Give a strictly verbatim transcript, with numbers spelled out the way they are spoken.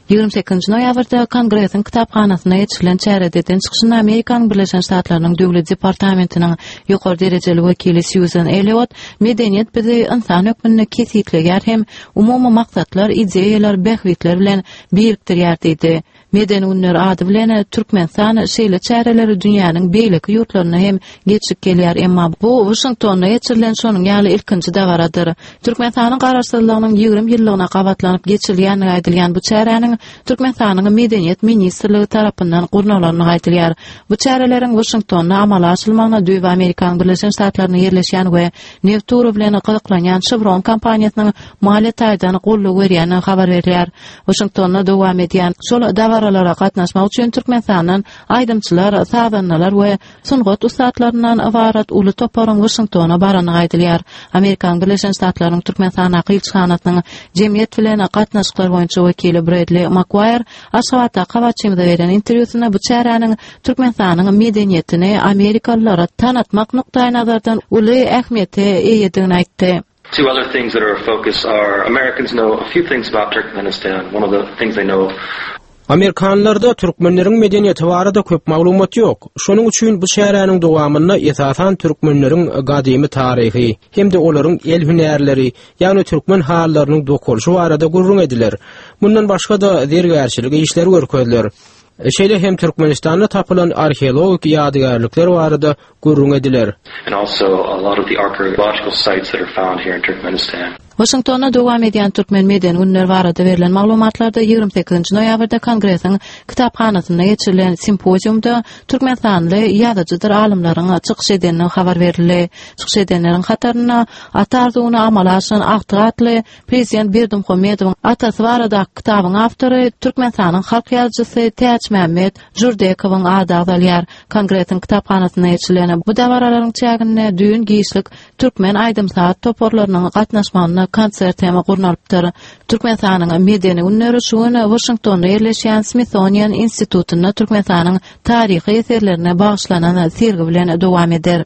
Ýigrimi sekizinji noýabrda Kongresiň kitaphanasynda geçirilen çärede eden çykyşynda Amerikanyň Birleşen Ştatlarynyň Döwlet departamentiniň ýokary derejeli wekili Sýuzan Elliot medeniýet bizi ynsan hökmünde kesgitleýär hem umumy maksatlar, ideýalar, bähbitler bilen birikdirýär diýdi. Medeni günler ady bilen Türkmenistan şeýle çäreleri dünýäniň beýleki ýurtlarynda hem geçirip gelýär, emma bu Waşingtonda geçirilen şonuň ýaly ilkinji dabaradyr. Türkmenistanyň Garaşsyzlygynyň ýigrimi ýyllygyna gabatlanyp geçirilýändigi aýdylýan bu çäräniň Türkmenistanyň Medeniýet ministrligi tarapyndan gurnalandygy aýdylýar. Bu çäreleriň Waşingtonda amala aşyrylmagyna düýbi Amerikanyň Birleşen Ştatlarynda ýerleşýän we neft ugry bilen gyzyklanýan Chevron kompaniýasynyň maliýe taýdan goldaw berýändigi habar berilýär. Waşingtonda dowam edýän şol dabaralara gatnaşmak üçin Türkmenistandan aýdymçylar, sazandalar we sungat ussatlaryndan ybarat uly toparyň Waşingtona barandygy aýdylýar. Amerikanyň Birleşen Ştatlarynyň Türkmenistandaky ilçihanasynyň jemgyýet bilen gatnaşyklar boýunça wekili Bredli Makwaýr Aşgabatdaky habarçymyza beren interwýusynda bu çäräniň Türkmenistanyň medeniýetini amerikalylara tanatmak nukdaýnazardan uly ähmiýete eýedigini aýtdy. Two other things that are a focus are Americans know a few things about Turkmenistan. One of the things they know Amerikanlarda türkmenleriň medeniýeti barada köp maglumat ýok. Şonuň üçin bu çäräniň dowamynda esasan türkmenleriň gadymy taryhy hem-de olaryň el hünärleri, ýagny türkmen halylarynyň dokalyşy barada gürrüň ediler. Mundan başga-da zergärçilik işleri görkeziler. Şeýle hem Türkmenistanda tapylan arheologik ýadygärlikler barada gürrüň ediler. and also a lot of the archaeological sites that are found here in Turkmenistan. Waşingtonda dowam edýän Türkmen medeni günleri barada berlen maglumatlarda ýigrimi sekizinji noýabrda Kongresiň kitaphanasynda geçirilen simpoziumda türkmenistanly ýazyjydyr alymlaryň çykyş edendigi habar berildi. Çykyş edenleriň hatarynda Ata arzuwyny amala aşyran agtyk atly Prezident Berdimuhamedowyň atasy baradaky kitabyň awtory Türkmenistanyň halk ýazyjysy Täçmämmet Jurdekowyň ady agzalýar. Kongresiň kitaphanasynda geçirilen bu dabaralaryň çäginde düýn giçlik türkmen aýdym-saz toparlarynyň gatnaşmagynda konsert hem gurnalypdyr. Türkmenistanyň medeni günleri şu gün Waşingtonda ýerleşýän Smithsonian institutynda Türkmenistanyň taryhy eserlerine bagyşlanan sergi bilen dowam eder.